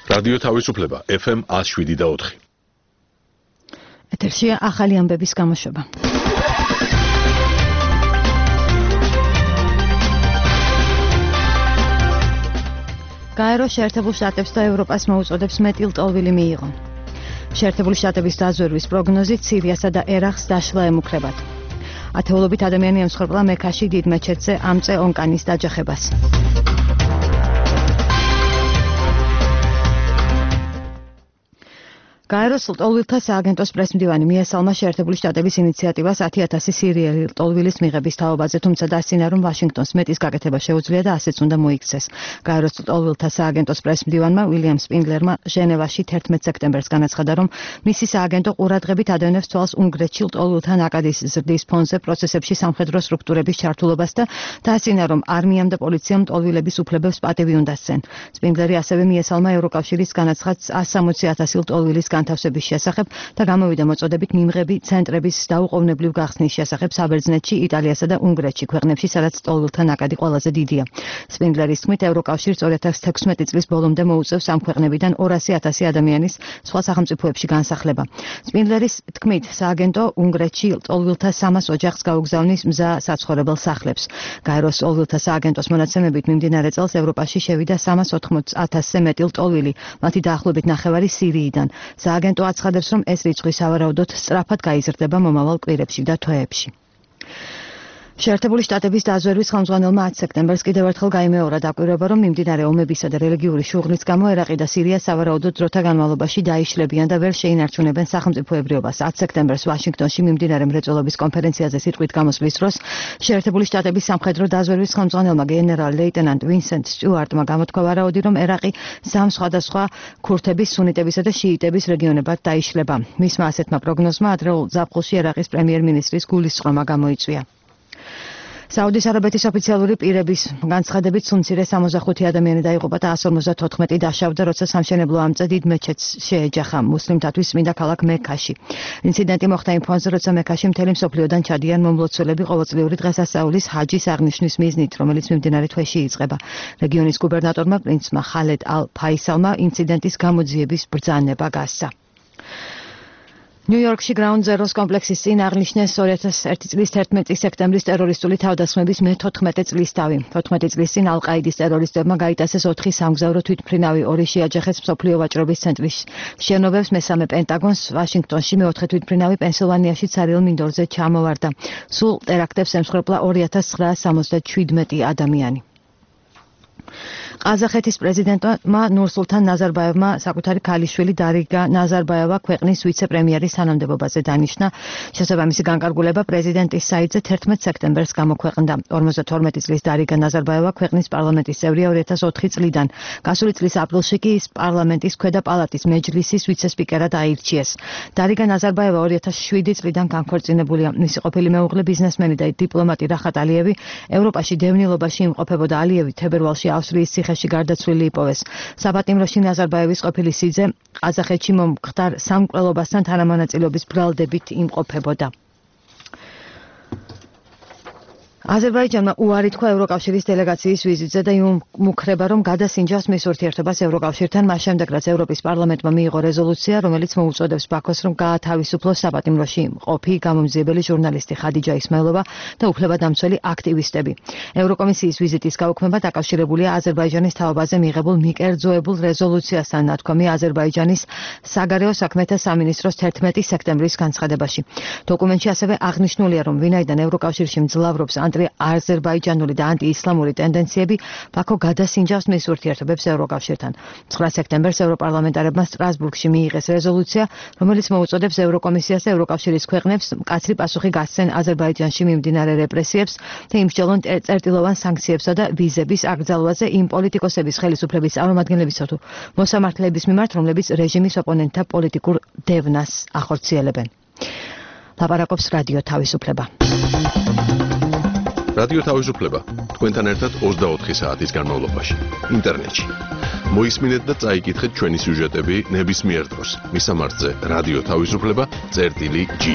რადიო თავისუფლება FM 107.4. ეთერშია ახალი ამბების გამოშვება. გაეროს შეერთებულ შტატებს და ევროპას მოუწოდებს მეტილტოლვილი მიიღონ. შეერთებული შტატების დაზვერვის პროგნოზით სირიასა და ერაყს დაშლა ემუქრებათ. ათეულობით ადამიანი ემსხვერპლა მექაში დიდ მეჩეთზე ამ წე ონკანის დაჯახებას. გაეროს ლტოლვილთა სააგენტოს პრესმდივანი მიესალმა შეერთებული შტატების ინიციატივას 10,000 სირიელი ლტოლვილის მიღების თაობაზე, თუმცა დასცინა, რომ ვაშინგტონს მეტის გაკეთება შეუძლია და ასეც უნდა მოიქცეს. გაეროს ლტოლვილთა სააგენტოს პრესმდივანმა უილიამ სპინგლერმა ჟენევაში 11 სექტემბერს განაცხადა, რომ მისი სააგენტო ყურადღებით ადევნებს თვალს უნგრეთში ლტოლვილთა ნაკადის ზრდის ფონზე პროცესებში სამხედრო სტრუქტურების ჩართულობას და დასცინა, რომ არმიამ და პოლიციამ ლტოლვილების უფლებებს პატივი უნდა სცენ. სპინგლერი ასევე მიესალმა ევროკავშირის განაცხადს 160,000 ლტოლვილის განთავსების შესახებ და გამოვიდა მოწოდებით მიმღები ცენტრების დაუყოვნებლივ გახსნის შესახებ საბერძნეთში, იტალიასა და უნგრეთში, ქვეყნებში, სადაც ლტოლვილთა ნაკადი ყველაზე დიდია. სპინგლერის თქმით, ევროკავშირს 2016 წლის ბოლომდე მოუწევს ამ ქვეყნებიდან 200,000 ადამიანის სხვა სახელმწიფოებში განსახლება. სპინგლერის თქმით, სააგენტო უნგრეთში ლტოლვილთა 300 ოჯახს გაუგზავნის მზა საცხოვრებელ სახლებს. გაეროს ლტოლვილთა სააგენტოს მონაცემებით მიმდინარე წელს ევროპაში შევიდა 380,000-ზე მეტი ლტოლვილი, მათი დაახლოებით ნახევარი სირიიდან. სააგენტო აცხადებს, რომ ეს რიცხვი სავარაუდოდ სწრაფად გაიზრდება მომავალ კვირებში და თვეებში. შეერთებული შტატების დაზვერვის ხელმძღვანელმა 10 სექტემბერს კიდევ ერთხელ გაიმეორა დაკვირვება, რომ მიმდინარე ომებისა და რელიგიური შუღლის გამო ერაყი და სირია სავარაუდოდ დროთა განმავლობაში დაიშლებიან და ვერ შეინარჩუნებენ სახელმწიფოებრიობას. 10 სექტემბერს ვაშინგტონში მიმდინარე მრეწველობის კონფერენციაზე სიტყვით გამოსვლის დროს შეერთებული შტატების სამხედრო დაზვერვის ხელმძღვანელმა გენერალ-ლეიტენანტ ვინსენტ სტიუარტმა გამოთქვა ვარაუდი, რომ ერაყი სამ სხვადასხვა ქურთების, სუნიტებისა და შიიტების რეგიონებად დაიშლება. მისმა ასეთმა პროგნოზმა ადრეულ ზაფხულში ერაყის პრემიერ-მინისტრის გულისწყრომა გამოიწვია. საუდის არაბეთის ოფიციალური პირების განცხადებით სუნცირე 65 ადამიანი დაიღუპა და 154 დაშავდა, როცა სამშენებლო ამწე დიდ მეჩეთს შეეჯახა მუსლიმთათვის წმინდა ქალაქ მექაში. ინციდენტი მოხდა იმ ფონზე, როცა მექაში მთელი მსოფლიოდან ჩადიან მომლოცველები ყოველწლიური დღესასწაულის ჰაჯის აღნიშვნის მიზნით, რომელიც მიმდინარე თვეში იწყება. რეგიონის გუბერნატორმა პრინცმა ხალედ ალ-ფაისალმა ინციდენტის გამოძიების ბრძანება გასცა. ნიუ-იორკში Ground Zero's კომპლექსის წინ აღნიშნეს 2001 წლის 11 სექტემბრის ტერორისტული თავდასხმების მე-14 წლისთავი. 14 წლის წინ ალ-ყაიდის ტერორისტებმა გაიტაცეს 4 სამგზავრო თვითმფრინავი, 2 შეაჯახეს მსოფლიო ვაჭრობის ცენტრის შენობებს, მესამე პენტაგონს ვაშინგტონში, მეოთხე თვითმფრინავი პენსილვანიაში ცარიელ მინდორზე ჩამოვარდა. სულ ტერაქტებს ემსხვერპლა 2977 ადამიანი. ყაზახეთის პრეზიდენტმა ნურსულთან ნაზარბაევმა საკუთარი ქალიშვილი დარიგა ნაზარბაევა ქვეყნის ვიცე-პრემიერის თანამდებობაზე დანიშნა. შესაბამისი განკარგულება პრეზიდენტის საიტზე 11 სექტემბერს გამოქვეყნდა. 52 წლის დარიგა ნაზარბაევა ქვეყნის პარლამენტის წევრია 2004 წლიდან. გასული წლის აპრილში კი ის პარლამენტის ქვედა პალატის მეჯლისის ვიცე-სპიკერად აირჩიეს. დარიგა ნაზარბაევა 2007 წლიდან განქორწინებულია. მისი ყოფილი მეუღლე ბიზნესმენი და დიპლომატი რახატ ალიევი ევროპაში დევნილობაში იმყოფებოდა. ალიევი თებერვალში ავსტრიის ციხეში გარდაცვლილი იპოვეს. საპატიმროში ნაზარბაევის ყოფილი სიძე ყაზახეთში მომხდარ სამკვლელობასთან თანამონაწილეობის ბრალდებით იმყოფებოდა. აზერბაიჯანმა უარი თქვა ევროკავშირის დელეგაციის ვიზიტზე და იმუქრება, რომ გადასინჯავს მის ურთიერთობას ევროკავშირთან, მას შემდეგ, რაც ევროპის პარლამენტმა მიიღო რეზოლუცია, რომელიც მოუწოდებს ბაქოს, რომ გაათავისუფლოს საპატიმროში მყოფი გამომძიებელი ჟურნალისტი ხადიჯა ისმაილოვა და უფლებადამცველი აქტივისტები. ევროკომისიის ვიზიტის გაუქმება დაკავშირებულია აზერბაიჯანის თაობაზე მიღებულ მიკერძოებულ რეზოლუციასთან, ნათქვამი აზერბაიჯანის საგარეო საქმეთა სამინისტროს 11 სექტემბრის განცხადებაში. დოკუმენტში ასევე აღნიშნულია, რომ ვინაიდან ევროკავშირში მძლავრობს აზერბაიჯანული და ანტიისლამური ტენდენციები, ბაქო გადასინჯავს მის ურთიერთობებს ევროკავშირთან. 9 სექტემბერს ევროპარლამენტარებმა სტრასბურგში მიიღეს რეზოლუცია, რომელიც მოუწოდებს ევროკომისიას და ევროკავშირის ქვეყნებს მკაცრი პასუხი გასცენ აზერბაიჯანში მიმდინარე რეპრესიებს და იმსჯელონ წერტილოვან სანქციებსა და ვიზების აკრძალვაზე იმ პოლიტიკოსების ხელისუფლების წარმომადგენლებისა თუ მოსამართლეების მიმართ, რომლებიც რეჟიმის ოპონენტთა პოლიტიკურ დევნას ახორციელებენ. ლაპარაკობს რადიო თავისუფლება. რადიო თავისუფლება თქვენთან ერთად 24 საათის განმავლობაში ინტერნეტში. მოისმინეთ და წაიკითხეთ ჩვენი სიუჟეტები ნებისმიერ დროს. მისამართზე რადიო თავისუფლება წერტილი G.